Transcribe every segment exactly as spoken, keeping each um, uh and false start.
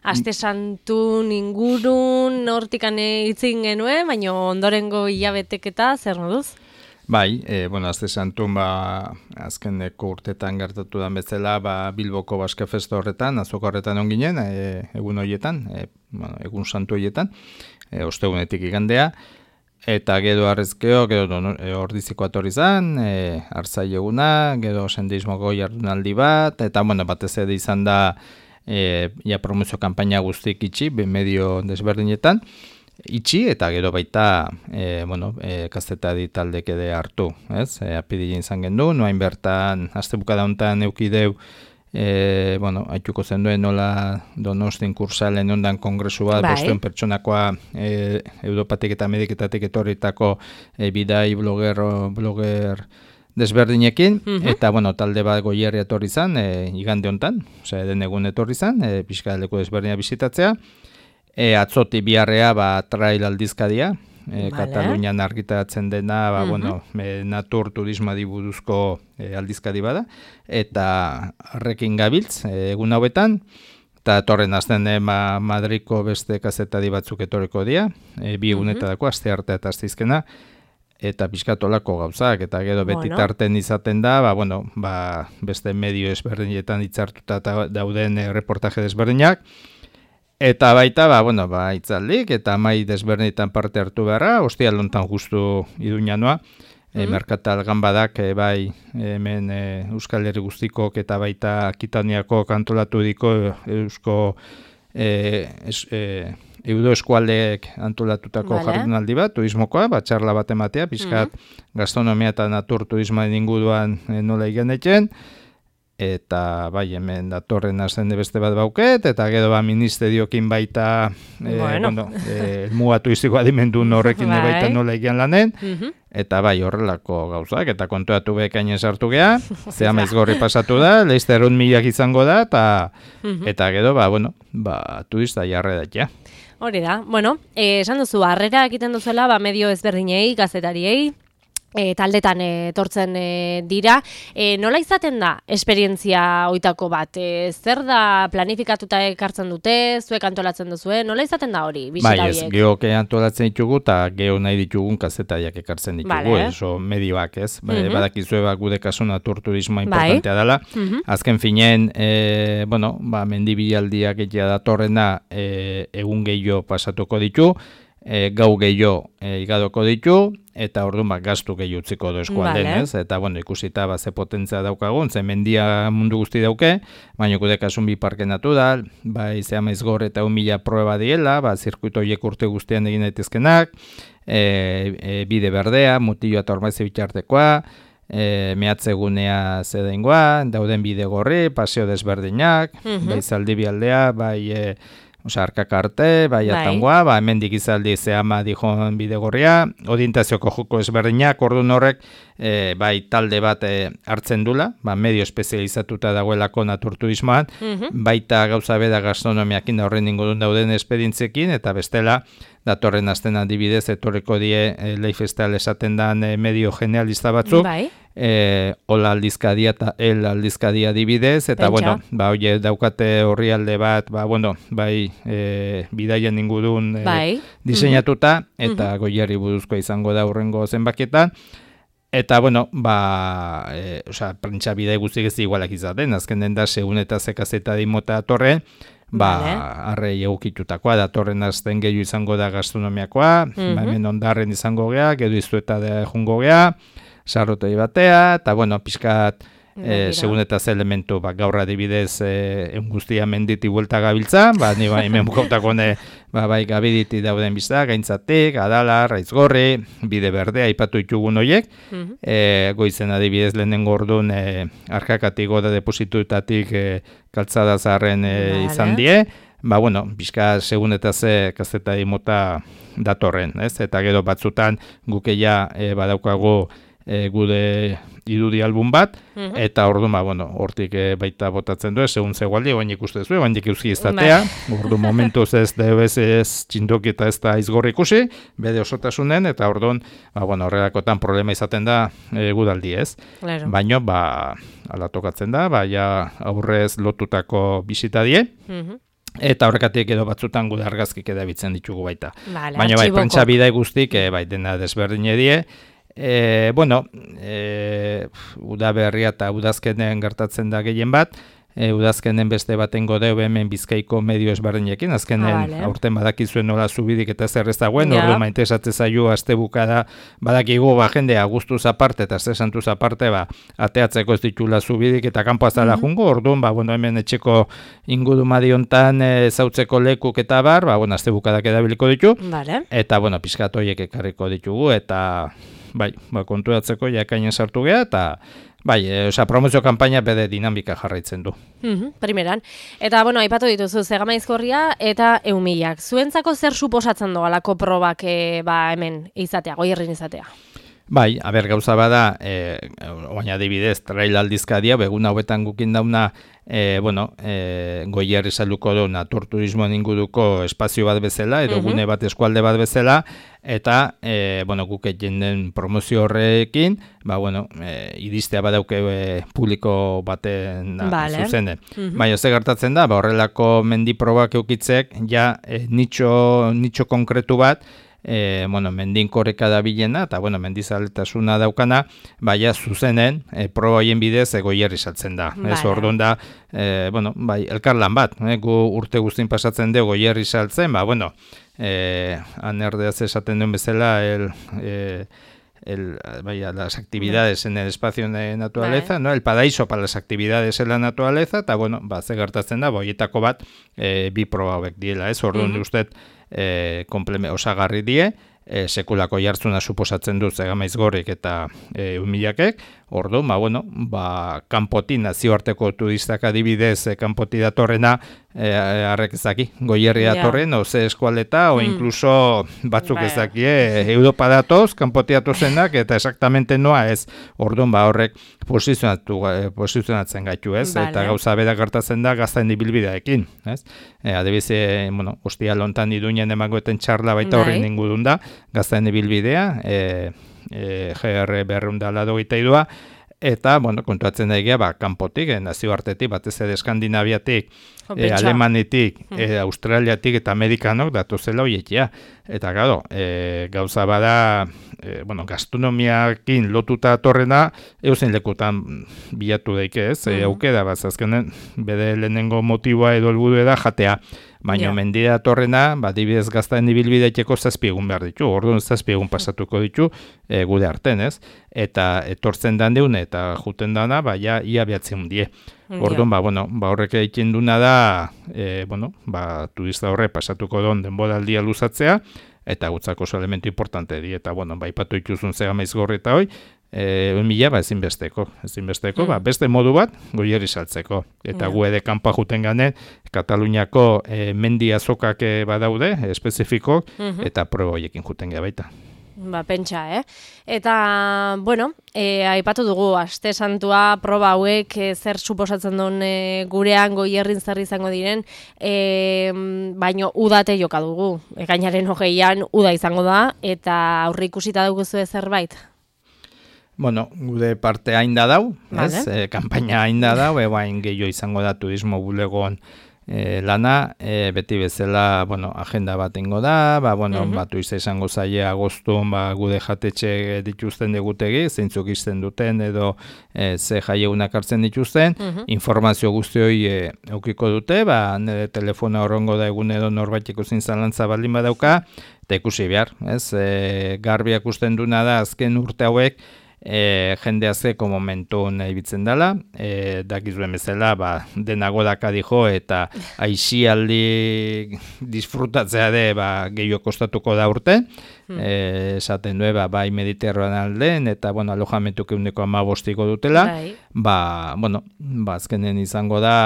Aste Santun ingurun hortikan hitzin genuen, baina ondorengo hilabeteketa zer moduz? Bai, e, bueno, Aste Santun ba, azkeneko urtetan gertatu den bezala, ba, Bilboko Baske Festa horretan, azoka horretan on ginen, e, egun horietan, e, bueno, egun santu horietan, e, ostegunetik igandea, eta gero arrezkeo, gero e, ordiziko atorri zan, e, arzai eguna, gero sendeismoko jardunaldi bat, eta bueno, batez ere izan da e, ja promozio kanpaina guztik itxi, medio desberdinetan, itxi eta gero baita e, bueno, e, kazetari taldek ere hartu, ez? E, apirilean izan gendu, noain bertan, aste bukada honetan eukideu, e, bueno, haituko zen duen nola Donostin kursalen ondan kongresu bat, bai. bostuen pertsonakoa e, Europatik eta Ameriketatik etorritako e, bidai bloger, bloger desberdinekin, uh-huh. eta bueno, talde bat goierri etorri zan, e, igande honetan, osea, den egun etorri zan, e, pixka leku desberdina bizitatzea. E, atzoti biharrea ba, trail aldizkadia, e, vale. Katalunian argitaratzen dena, ba, uh-huh. bueno, e, natur turismari buruzko e, aldizkadi bada, eta horrekin gabiltz, e, egun hauetan, eta torren azten e, ma, Madriko beste kazetari batzuk etorriko dira, e, bi egunetako, uh-huh. aste arte eta aste izkena, eta pixkatolako gauzak, eta gero beti bueno. tarten izaten da, ba, bueno, ba, beste medio ezberdinetan hitzartuta dauden e, reportaje desberdinak, eta baita, ba, bueno, ba, itzaldik, eta mai desberdinetan parte hartu beharra, ostia lontan justu iduñanoa, mm-hmm. e, merkatal ganbadak, e, bai, hemen e, Euskal Herri guztikok eta baita Akitaniako kantolatu diko Eusko e, es, e, Eudo eskualdeek antolatutako vale. Jardunaldi bat, turismokoa, bat txarla bat ematea, pixkat mm-hmm. gastronomia eta natur turismoen inguruan e, nola igenetxen, eta bai hemen datorren azende beste bat bauket, eta gero ba ministeriokin baita e, bueno. bueno, e, muga turistiko adimendu horrekin bai. Baita nola egian lanen, uh-huh. eta bai horrelako gauzak, eta kontuatu bekainen sartu geha, zea maizgorri pasatu da, leizterun milak izango da, eta, uh-huh. eta gero ba, bueno, ba, turista jarre datia. Hori da, bueno, eh, esan duzu, harrera egiten duzuela, ba, medio ezberdinei, gazetariei, E, taldetan etortzen e, dira. E, nola izaten da esperientzia hoitako bat? E, zer da planifikatuta ekartzen dute, zuek antolatzen duzue? Nola izaten da hori? Bai, ez, geok antolatzen ditugu eta geho nahi ditugun kazetariak ekartzen ditugu, vale. Eso medioak ez. Uh-huh. Badakizue ba, gude kasu natur turismoa importantea bai. Dela. Uh-huh. Azken finen, e, bueno, ba, mendibilaldiak egia datorrena e, egun gehiago pasatuko ditu, e, gau gehiago e, igadoko ditu, eta orduan ba, gastu gehi utziko do eskualden, vale. Ez? Eta bueno, ikusita ba, ze potentzia daukagun, ze mendia mundu guzti dauke, baina gude kasun bi parke natural, bai zea maizgor eta un mila proba diela, ba, zirkuito horiek urte guztian egin daitezkenak, e, e, bide berdea, mutillo eta ormaize bitartekoa, e, mehatzegunea zedeingoa, dauden bide gorri, paseo desberdinak, uh-huh. bai zaldibi aldea, bai... E, Osa, arkak arte, bai atangoa, ba, hemen dikizaldi zehama dijon bidegorria, orientazioko joko ezberdinak, orduan horrek, e, bai talde bat e, hartzen dula, ba, medio espezializatuta dagoelako naturturismoan, mm-hmm. baita gauza beda gastronomiakin horren ingodun dauden esperientziekin, eta bestela, datorren azten adibidez, etorreko die e, leifestal esaten dan e, medio generalista batzuk, bai. E, Ola aldizkadia eta El aldizkadia adibidez, eta Pentsa. Bueno, ba, oie, daukate horri alde bat, ba, bueno, bai, e, bidaien ingurun e, bai. Diseinatuta, mm-hmm. eta mm-hmm. goierri buruzkoa izango da hurrengo zenbaketan, eta, bueno, ba, e, oza, prentsa bidai guztik ez igualak izaten, azken den da, segun eta zekazeta dimota atorren, ba, vale. Arrei egukitutakoa, datorren azten gehiu izango da gastronomiakoa, mm-hmm. ba, hemen ondarren izango gea, gero izueta da jungo gea, sarrotei batea, eta, bueno, pixkat, e, segun eta ze elementu, ba, gaur adibidez, e, egun guztia menditi buelta gabiltza, ba, ni ba, hemen bukautakone, ba, bai, gabiditi dauden bizta, gaintzatik, adala, raizgorri, bide berdea, aipatu ditugun horiek, mm-hmm. e, goizen adibidez lehenengo orduan, e, arkakatik goda deposituetatik e, kaltzada zaharren e, vale. Izan die, ba, bueno, bizka segun eta ze kazetari mota datorren, ez? Eta gero batzutan gukeia e, badaukagu E, gude irudi album bat, uh-huh. eta orduan, ba, bueno, hortik e, baita botatzen du, segun zegoaldi, oainik uste zuen, oainik euski izatea, ordu momentuz ez debez ez txindoki eta ez da izgorri ikusi, bede osotasunen, eta orduan, ba, bueno, horrelakotan problema izaten da e, gudaldi ez. Claro. Baina, ba, ala tokatzen da, ba, ja aurrez lotutako bisita die, uh-huh. eta horrekatik edo batzutan gude argazkik edabitzen ditugu baita. Vale, baina bai, prentsa bidai guztik, e, bai, dena desberdin edie. E, bueno, e, udaberria eta udazkenen gertatzen da gehien bat, E, udazkenen beste baten godeu hemen Bizkaiko medio ezberdinekin, azkenen ah, vale. aurten badakizuen nola zubidik eta zer ez dagoen, ja. Ordu maintesatze zaio aste bukada badakigu ba, jendea guztuz aparte eta aste santuz aparte ba, ateatzeko ez ditula zubidik eta kanpo azala mm -hmm. jungo, orduan ba, bueno, hemen etxeko ingurumadi hontan e, zautzeko lekuk eta bar, ba, bueno, aste bukadak edabiliko ditu, vale. Eta bueno, pizkat horiek ekarriko ditugu, eta bai, ba, kontuatzeko jakainen sartu geha, eta bai, e, oza, promozio kanpaina bede dinamika jarraitzen du. Mm-hmm, primeran. Eta, bueno, aipatu dituzu, Zegamaizkorria eta Eumillak. Zuentzako zer suposatzen doa alako probak e, ba, hemen izatea, Goierrin izatea? Bai, aber gauza bada, e, oain adibidez, trail aldizkadia, begun hauetan gukin dauna, e, bueno, e, Goierri saluko du naturturismoan inguruko espazio bat bezala, edo mm-hmm. gune bat eskualde bat bezala, eta, e, bueno, guk egin den promozio horrekin, ba, bueno, e, iristea badauke e, publiko baten vale. Zuzene. Mm-hmm. Baina, ze gertatzen da, ba, horrelako mendi probak eukitzek, ja, e, nitxo, nitxo konkretu bat, E, bueno, mendinkoreka da bilena, eta bueno, mendizaletasuna daukana, baina zuzenen, e, proba hoien bidez Goierri saltzen da. Vale. Ez orduan da, e, bueno, bai, elkarlan bat, e, gu urte guztin pasatzen dugu Goierri saltzen, ba, bueno, e, anerdeaz esaten duen bezala, el... E, El, vaya, las actividades en el espacio de naturaleza, vale. ¿No? El paraíso para las actividades en la naturaleza, eta bueno, ba, ze gertatzen da, boietako bat, e, bi proba hauek diela, ez? Orduan, mm-hmm. usted, e, kompleme, osagarri die, e, sekulako jartzuna suposatzen du Zegamaizgorrik eta e, Eumillakek, orduan, ba, bueno, ba, kanpoti, nazioarteko turistak adibidez, e, kanpoti datorrena, e, arrek ezaki, Goierri datorren, yeah. o ze eskualeta, o mm. incluso batzuk ba, ezaki, e, Europa datoz, kanpoti datozenak, eta exactamente noa ez, orduan, ba, horrek posizionatu, e, posizionatzen gaitu, ez, vale. Eta gauza beda gertatzen da gaztaen ibilbideekin, ez, e, adibiz, e, bueno, ostia lontan iduinen emagoeten txarla baita horren ingurun da, gaztaen ibilbidea, e, e, G R berrunda lado gita idua, eta, bueno, kontuatzen da egia, ba, kanpotik, e, nazioartetik, batez ere Eskandinaviatik, e, Alemanitik, e, Australiatik eta Amerikanok datuzela hoietia. Eta, gado, e, gauza bada, e, bueno, gastronomiakin lotuta torrena, eusen lekutan bilatu daike ez, e, aukera, bat, azkenen, bede lehenengo motiboa edo helburu da jatea. Baina yeah. mendira torrena, ba, dibidez gaztaen ibilbideeteko zazpiegun behar ditu, orduan zazpiegun pasatuko ditu e, gude arten, ez? Eta etortzen dan deune eta juten dana, ba, ja, ia behatzen die. Orduan, ba, bueno, ba, horrek egiten duna da, e, bueno, ba, turista horre pasatuko don denboraldia luzatzea, eta gutzako oso elementu importante di, eta, bueno, ba, ipatu ituzun Zegamaizgorri eta hoi, E, Eumilla, ba, ezinbesteko, ezinbesteko, mm. ba, beste modu bat, Goierri saltzeko. Eta yeah. gu ere kanpoa juten ganen, Kataluniako e, mendi azokak e, badaude, espezifiko, mm-hmm. eta proba horiekin juten gara baita. Ba, pentsa, eh? Eta, bueno, e, aipatu dugu, aste santua, proba hauek, e, zer suposatzen duen e, gurean Goierrin zer izango diren, e, baino udate joka dugu. Ekainaren hogeian uda izango da, eta aurre ikusita dugu zerbait? Bueno, gude parte hain da dau, vale. Ez? E, kampaina hain da dau, ebain gehiago izango da turismo bulegoan e, lana, e, beti bezala, bueno, agenda bat ingo da, ba, bueno, uh-huh. batu izango zaie agostun, ba, gude jatetxe dituzten degutegi, zeintzuk izten duten, edo e, ze jaieunak hartzen dituzten, uh-huh. informazio guzti hori e, eukiko dute, ba, nire telefona horrengo da egun edo norbaiteko zintzalantza baldin badauka, eta ikusi behar, ez? E, garbiak usten duna da, azken urte hauek, E, jende azeko momentun ibitzen dela, e, dakizuen bezala, ba, denago daka dijo, eta aixialdi disfrutatzea de, ba, gehiago kostatuko da urte, hmm. e, esaten du, ba, bai Mediterranean aldean, eta, bueno, alojamentuk eguneko amabostiko dutela, Dai. ba, bueno, ba, azkenen izango da,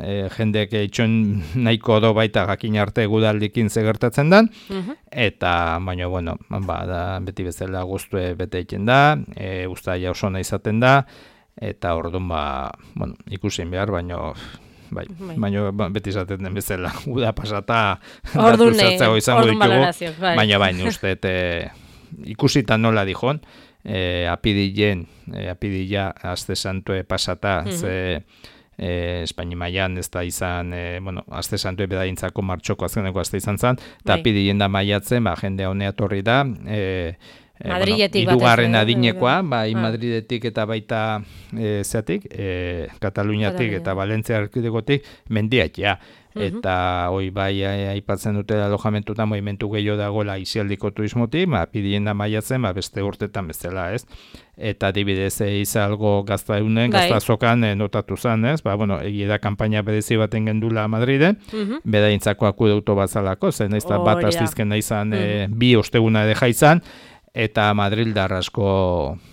e, jendeak itxon nahiko do baita jakin arte gudaldikin zegertatzen dan, uh-huh. eta, baina, bueno, ba, da, beti bezala guztue bete egiten da, e, ustaia oso ona izaten da, eta orduan, ba, bueno, ikusin behar, baino, bai, bai. baino beti izaten den bezala, uda pasata, datu zartzago izango ditugu, bai. baina baina uste, e, ikusita nola dijon, e, apidillen, e, apidilla, azte santue pasata, mm-hmm. ze, e, Espaini mailan ez da izan, e, bueno, aste santu ebedaintzako martxoko azkeneko aste izan zen, eta apirilen da maiatzen, ba, jende honea torri da, e, E, Madriletik bueno, irugarren batez, adinekoa, bai ah. Madridetik eta baita e, zeatik, e, Kataluniatik eta Valentzia erkidegotik mendiatia. Eta hoi bai aipatzen dute alojamentutan movimentu gehiago dagoela isialdiko turismotik, ba, pidien da maiatzen, ba, beste urtetan bezala, ez? Eta adibidez izalgo gaztaunen, gaztazokan e, notatu zen, ez? Ba, bueno, egia da kanpaina berezi baten gendula Madriden, uh-huh. bedaintzako akudeuto bazalako, zen naiz da bat astizken naizan uh-huh. e, bi osteguna deja izan, eta Madrildar asko,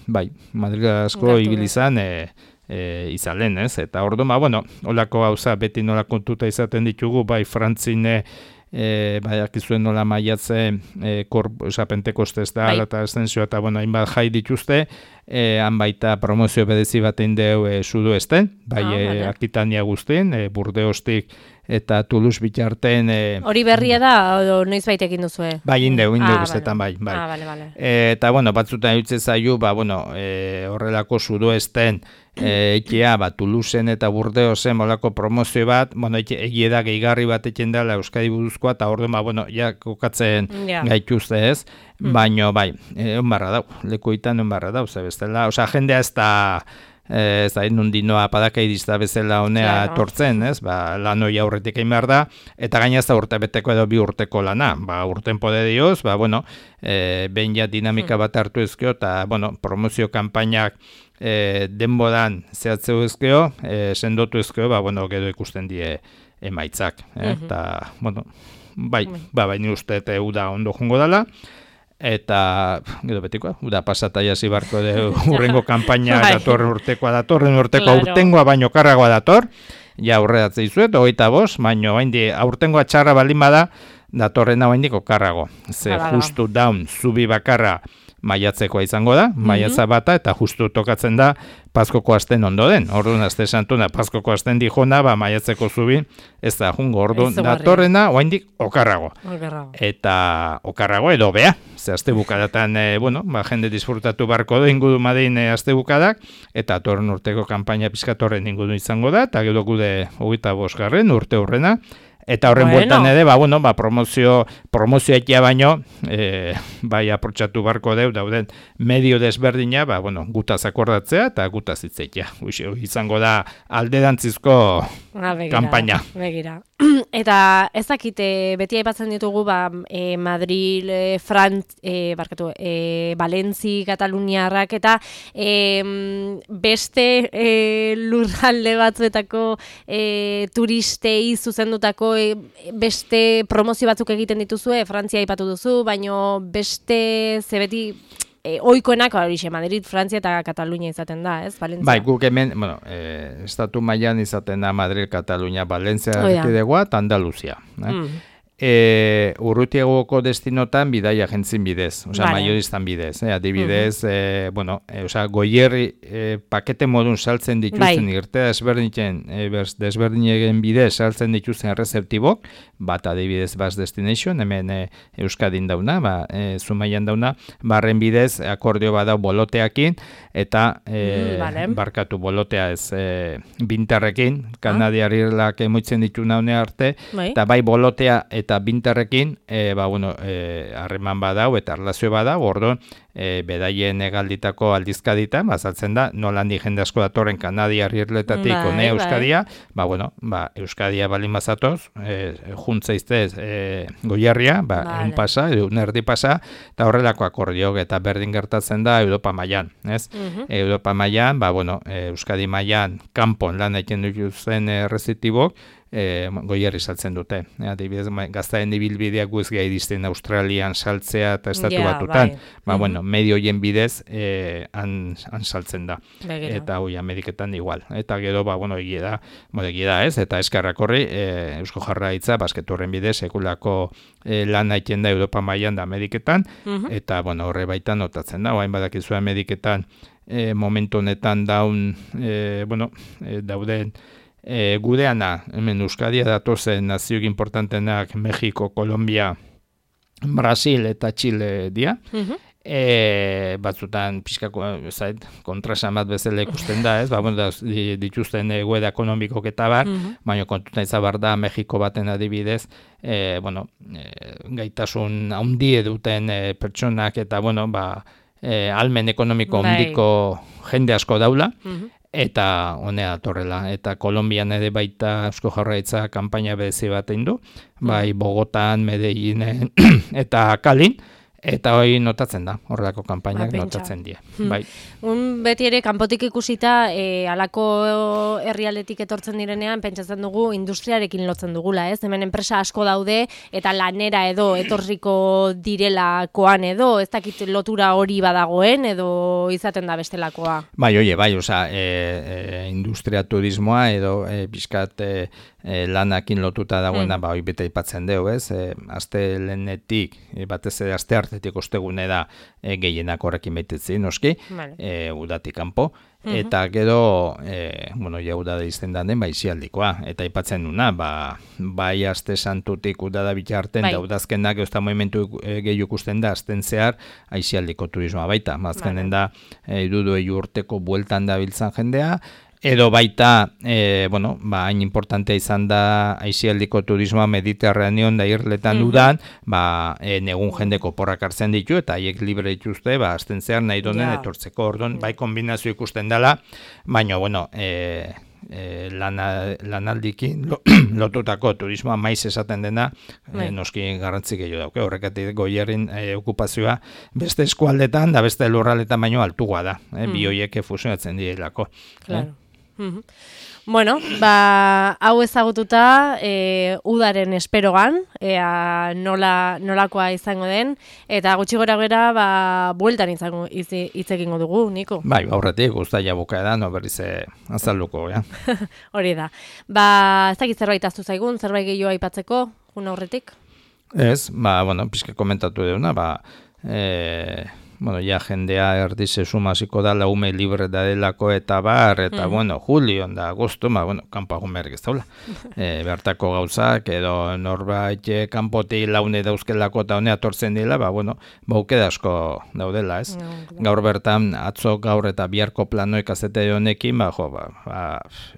bai, Madrildar asko ibili izan, e, e, izalen, ez? Eta orduan, ba, bueno, holako gauza beti nola kontuta izaten ditugu, bai, Frantzine, e, bai, akizuen nola maiatzen, e, korp, oza, Pentekostez da, bai. Eta estensio, eta, bueno, hainbat jai dituzte, e, han baita promozio bedezi batein deu e, sudoesten, bai, ah, e, Akitania guztien, e, Burdeostik, eta Toulouse bitarten... Hori e, berria da, o noiz baitekin duzue? Bai, indeu, indeu ah, bestetan, vale. bai. bai. Ah, vale, vale. E, eta, bueno, batzutan eutze zaiu, ba, bueno, e, horrelako sudoesten, e, ekia, ba, Toulouseen eta Burdeosen molako promozio bat, bueno, egie da gehigarri bat etxen dela Euskadi buruzkoa, eta orduan, ba, bueno, ja, kokatzen yeah. gaituzte ez, mm. baino, bai, e, onbarra dau, lekuitan onbarra dau, ze bestela, osea, jendea ez da... ez da, nundinoa padaka irizta bezala honea claro. tortzen, ez? Ba, lan hori aurretik egin behar da, eta gaina ez da urte beteko edo bi urteko lana. Ba, urten pode dioz, ba, bueno, e, behin ja dinamika bat hartu ezkeo, eta, bueno, promozio kanpainak e, denbodan zehatzeu ezkeo, e, sendotu ezkeo, ba, bueno, gero ikusten die emaitzak. Eh? Eta, uh-huh. bueno, bai, ba, baina uste eta uda ondo jungo dela, eta, gero betikoa, uda pasata jasi barko de urrengo kanpaina datorren urtekoa datorren urteko claro. aurtengoa baino karragoa dator, ja aurredatzei zuet, hogeita bost, baino haindi aurtengoa txarra balin bada, datorrena haindiko karrago. Ze Hala. justu daun zubi bakarra maiatzekoa izango da, mm-hmm. maiatza bata, eta justu tokatzen da Paskoko asten ondo den. Orduan, aste santuna, Paskoko asten dijona, ba, maiatzeko zubi, ez da, jungo, orduan, datorrena, oaindik, okarrago. Okarrago. Eta okarrago edo bea. Ze, azte bukadatan, e, bueno, ba, jende disfrutatu barko da, ingudu madein e, azte bukadak, eta torren urteko kanpaina pizkatorren ingudu izango da, eta gero gude hogeita bosgarren urte hurrena, eta horren bueno. bueltan ere, ba, bueno, ba, promozio, promozio ekia baino, e, bai aprotxatu barko deu, dauden medio desberdina, ba, bueno, gutaz akordatzea eta gutaz hitzeitea. Izango da alderantzizko ah, kanpaina. Begira. Eta ez dakite, beti aipatzen ditugu, ba, e, Madrid, e, Frantz, e, barkatu, e, Valentzi, Kataluniarrak, eta e, beste e, lurralde batzuetako e, turistei zuzendutako e, beste promozio batzuk egiten dituzue, Frantzia aipatu duzu, baino beste zebeti... E, oikoenak horixe, Madrid, Frantzia eta Katalunia izaten da, ez? Valentzia. Bai, guk hemen, bueno, e, estatu mailan izaten da Madrid, Katalunia, Valentzia, erkidegoa eta Andaluzia. Eh? Mm. E, urrutiagoko destinotan bidaia jentzin bidez, osea, vale. maioristan bidez, eh? adibidez, uh-huh. e, bueno, e, osea, goierri e, pakete modun saltzen dituzten bai. irte desberdinen, e, desberdinegen bidez saltzen dituzten errezeptibok, bat adibidez Bas Destination, hemen e, Euskadin dauna, ba, e, Zumaian dauna, barren bidez akordio badau boloteakin, eta e, mm, vale. barkatu bolotea ez e, bintarrekin, Kanadiar irlak emoitzen ditu naune arte, bai. eta bai bolotea eta eta bintarrekin, e, ba, bueno, e, harreman badau eta erlazio badau, orduan, e, bedaien egalditako aldizkadita, bazaltzen da, nolandi jende asko datorren Kanadiar irletatik bai, one Euskadia, bai. ba, bueno, ba, Euskadia balin bazatoz, e, juntzaiztez e, goierria, ba, vale. un pasa, un erdi pasa, eta horrelako akordiok eta berdin gertatzen da Europa mailan, ez? Uh-huh. Europa mailan, ba, bueno, e, Euskadi mailan kanpon lan egiten dutzen errezitibok, E, goierri saltzen dute. E, adibidez, gaztaen ibilbideak guzgia iristen Australian saltzea eta estatu yeah, batutan. Bai. Ba, mm-hmm. bueno, medio hoien bidez e, han, han saltzen da. Begero. Eta hoi Ameriketan igual. Eta gero, ba, bueno, egia da, bueno, egia da ez, eta eskarrak horri, e, Eusko Jarraitza, basketurren bidez, sekulako e, lan haiten da Europa mailan da Ameriketan, mm-hmm. eta, bueno, horre baitan notatzen da, oain badakizu Ameriketan e, momentu honetan daun, e, bueno, e, dauden E, gudeana, hemen Euskadia datozen nazioik importantenak Mexiko, Kolombia, Brasil eta Chile dia, uh-huh. E, batzutan pixkako zait, kontrasan bat bezala ikusten da, ez? Ba, bueno, dituzten egoera ekonomikok eta bar, mm-hmm. baina kontutan izabar da Mexiko baten adibidez, e, bueno, e, gaitasun handi eduten e, pertsonak eta, bueno, ba, e, almen ekonomiko handiko jende asko daula, mm-hmm. eta honea datorrela. Eta Kolonbian ere baita Eusko Jaurlaritza kanpaina berezi bat egin du, bai Bogotan, Medellinen eta Kalin, eta hori notatzen da, horrelako kanpainak ba, notatzen die. Hmm. Bai. Un beti ere kanpotik ikusita, e, alako herrialdetik etortzen direnean, pentsatzen dugu industriarekin lotzen dugula, ez? Hemen enpresa asko daude, eta lanera edo etorriko direlakoan edo, ez dakit lotura hori badagoen, edo izaten da bestelakoa. Bai, oie, bai, oza, e, e, industria turismoa edo e, bizkat e, e, lanakin lotuta dagoena, mm. ba, hori bete ipatzen dugu, ez? E, azte lehenetik, e, batez ere azte hartetik ostegune da e, gehienak horrekin baitetzen, noski, vale. e, udatik kanpo, mm-hmm. eta gero, e, bueno, ja udada izten den, ba, izialdikoa, eta ipatzen duna, ba, bai azte santutik udada bitarten, bai. Da udazkenak, eusta movimentu e, gehiu ikusten da, azten zehar, aizialdiko turismoa baita, mazkenen vale. Da, e, irudu egi urteko bueltan da biltzan jendea, edo baita, e, bueno, ba, hain importantea izan da aizialdiko turismoa Mediterraneon da irletan mm-hmm. dudan, ba, e, negun jendeko porrak hartzen ditu, eta haiek libre dituzte, ba, azten zehar nahi donen yeah. etortzeko, ordon, bai kombinazio ikusten dela, baina, bueno, e, e, lana, lanaldikin lo, lotutako turismoa maiz esaten dena, e, noski garrantzik gehiago dauke, horrekatik Goierrin e, okupazioa beste eskualdetan, da beste lurraletan baino altugoa da, e, mm. bi hoiek fusionatzen direlako. Claro. Eh? Mm-hmm. Bueno, ba, hau ezagututa e, udaren esperogan, ea nola, nolakoa izango den, eta gutxi gora gera, ba, bueltan izango hitz egingo dugu, Niko. Bai, aurretik guztaia buka da, no berriz azalduko, ja. Hori da. Ba, ez dakit zerbait aztu zaigun, zerbait gehiago aipatzeko, jun aurretik? Ez, ba, bueno, pizke komentatu deuna, ba, e... bueno, ja jendea erdize sumaziko da laume libre da delako eta bar, eta mm. bueno, julio da agosto, ma, bueno, kanpo agun berrik ez daula. E, bertako gauzak, edo norbait kanpoti laune dauzkelako eta honea tortzen dela, ba, bueno, baukeda asko daudela, ez? Mm. Gaur bertan, atzo gaur eta biharko planoik azete honekin, ba, jo, ba, ba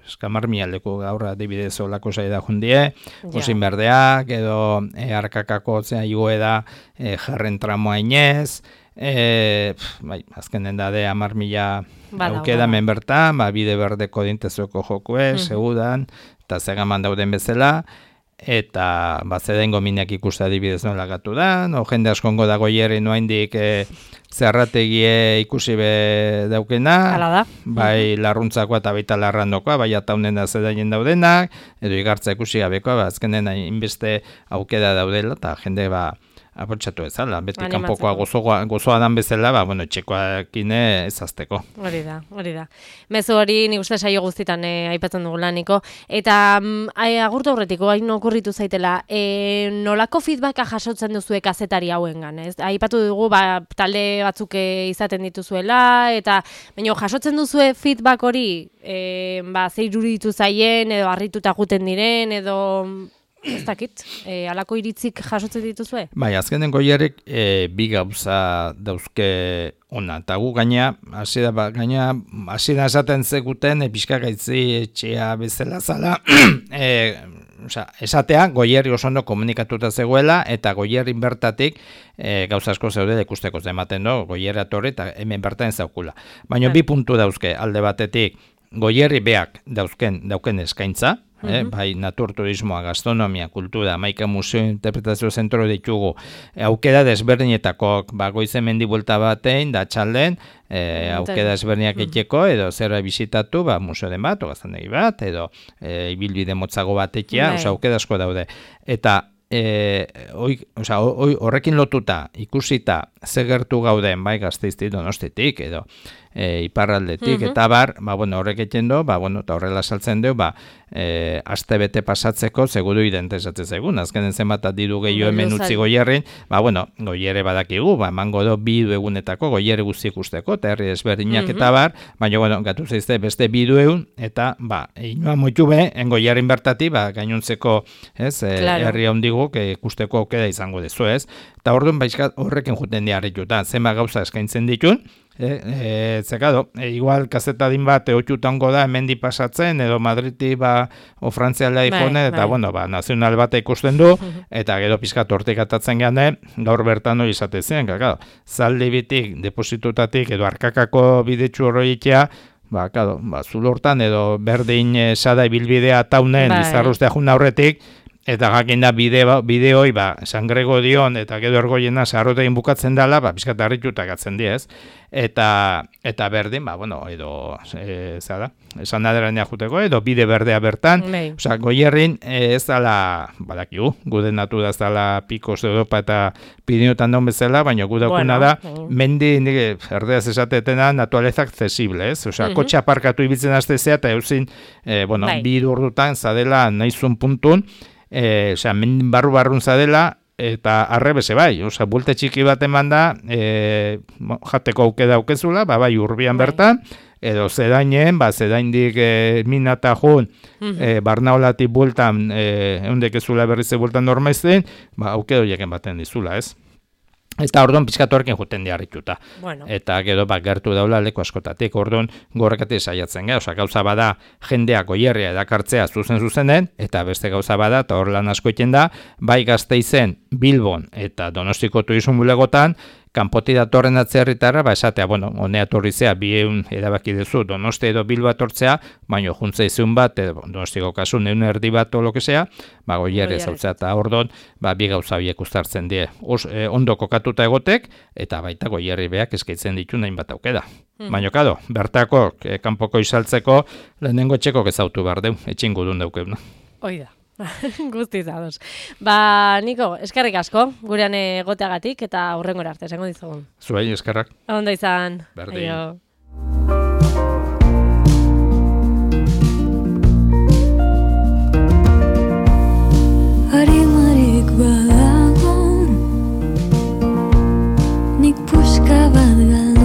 eskamar mialdeko gaur adibidez olako zaida jundie, osin yeah. berdeak, edo e, arkakako zea igoe da e, jarren tramoa inez, E, pf, bai, azkenen da de amar mila aukeda men bertan, ba, bide berdeko dintezueko jokue, mm-hmm. segudan, eta zegaman dauden bezala, eta ba, zedengo minak ikusta adibidez nola gatu da, no, jende askongo dago hierri noaindik e, zerrategie ikusi be daukena, da. Bai mm-hmm. larruntzakoa eta baita larrandokoa, bai ataunen da zedaien daudenak, edo igartza ikusi gabekoa, ba, azkenen inbeste aukeda daudela, eta jende ba, apotxatu ezala, beti kanpokoa gozoa, gozoa dan bezala, ba, bueno, txekoakine ezazteko. Hori da, hori da. Mezu hori nik uste saio guztitan eh, aipatzen dugula, Niko. Eta mm, agurtu aurretiko, hain okurritu zaitela, e, nolako feedbacka jasotzen duzue kazetari hauengan, ez? Aipatu dugu, ba, talde batzuk izaten dituzuela, eta baina jasotzen duzue feedback hori, e, ba, zeiruritu zaien, edo harrituta guten diren, edo... Ez dakit, e, alako iritzik jasotzen dituzue? Bai, azkenen Goierrek e, bi gauza dauzke ona, eta gu gaina, hasi da, ba, gaina, hasi da esaten zeguten, e, pixka gaitzi etxea bezala zala, e, oza, esatea, Goierri oso ondo komunikatuta zegoela, eta Goierrin bertatik e, gauza asko zeude ikusteko ematen do, Goierri atorri, eta hemen bertan zaukula. Baina bi puntu dauzke, alde batetik, Goierri beak dauzken, dauken eskaintza, Eh, bai, naturturismoa, gastronomia, kultura, maika museo, interpretazio zentro ditugu, e, aukera desberdinetakok, ba, goizen mendi buelta batein, da txalden, e, aukera desberdinak etxeko, edo zerra bizitatu, ba, museo den bat, o gaztandegi bat, edo e, ibilbide motzago bat etxea, oza, aukera asko daude. Eta, E, oi, oza, oi, horrekin lotuta ikusita ze gertu gauden bai Gasteiztik, Donostitik edo e, iparraldetik mm-hmm. eta bar, ba, bueno, horrek egiten du, ba, bueno, eta horrela saltzen du, ba, e, aste bete pasatzeko, seguru identizatzen zegun, azkenen zenbat diru gehiago hemen utzi Goierrin, ba, bueno, Goierre badakigu, ba, emango do bi egunetako Goierre guztiek usteko, eta herri ezberdinak eta bar, baina, bueno, gatu zeizte beste bi egun, eta, ba, inoa moitu be, en Goierrin bertati, ba, gainontzeko, ez, e, claro. Herri hondigu, ikusteko aukera izango dezu, ez, eta orduan, baizkat, horrekin juten diarrituta, zenba gauza eskaintzen ditun, E, e, zekado, e, igual kazetadin bat eotxutango da hemendi pasatzen edo Madriti ba o Frantziala ikone eta bai. Bueno, ba, nazional bat ikusten du eta gero pizkat hortik atatzen gane gaur bertan hori izate zen, claro, zaldi bitik, depositutatik edo arkakako bidetxu horroitea ba, claro, ba, zulortan edo berdin e, sada ibilbidea taunen bai. Izarruztea jun aurretik eta jakin da bideo, bideoi, ba, San Gregorion eta gero ergoiena sarrotegin bukatzen dela, ba, pizkat harritutak atzen diez. Eta, eta berdin, ba, bueno, edo, e, zara, esan aderanea juteko, edo bide berdea bertan. Nei. Osa, Goierrin e, ez dala, badakigu, guden natu da ez dala Picos de Europa eta Piriniotan daun bezala, baina gu daukuna bueno, da, uh. mendi, nire, erdeaz esatetena, naturaleza accesible, ez? Osa, uh-huh. Kotxe aparkatu ibiltzen aztezea, eta eusin, e, bueno, bai. Bi urdutan, zadela, nahizun puntun, E, osea, mendin barru-barrun zadela, eta arrebese bai, osea, bulte txiki bat eman da, e, jateko auke daukezula, ba, bai, urbian bai. Bertan, edo zedainen, ba, zedaindik e, minata jun, mm-hmm. e, barnaolatik bultan, e, eundek ezula berrize bultan normaizten, ba, auke doieken baten dizula, ez? Eta orduan pizkatu horrekin juten diarrituta. Bueno. Eta gero bak gertu daula leku askotatik. Orduan gorrekatik saiatzen gara. Osa, gauza bada jendeak Goierria edakartzea zuzen zuzenen, eta beste gauza bada, eta hor lan asko egiten da, bai Gasteizen, Bilbon eta Donostiko turizmo bulegotan, kanpoti datorren atzerritarra, ba esatea, bueno, honea torrizea, bieun erabaki duzu, Donosti edo Bilbo atortzea, baina juntza izun bat, edo Donostiko kasun egun erdi bat o lokesea, ba Goierri zautzea, eta ordon, ba bi gauza biek uztartzen die. Os, eh, ondo kokatuta egotek, eta baita Goierri beak eskaitzen ditu nahin bat aukeda. Hmm. Baina, kado, bertako, eh, kanpoko izaltzeko, lehenengo etxeko ezautu behar deu, etxingu duen daukeuna. Oida. Guztiz ados. Ba, Niko, eskerrik asko, gurean egoteagatik eta hurrengora arte, esango dizugun. Zuei, eskerrak. Ondo izan. Berdin. Aio. Harimarik badago, nik puska bat galdu.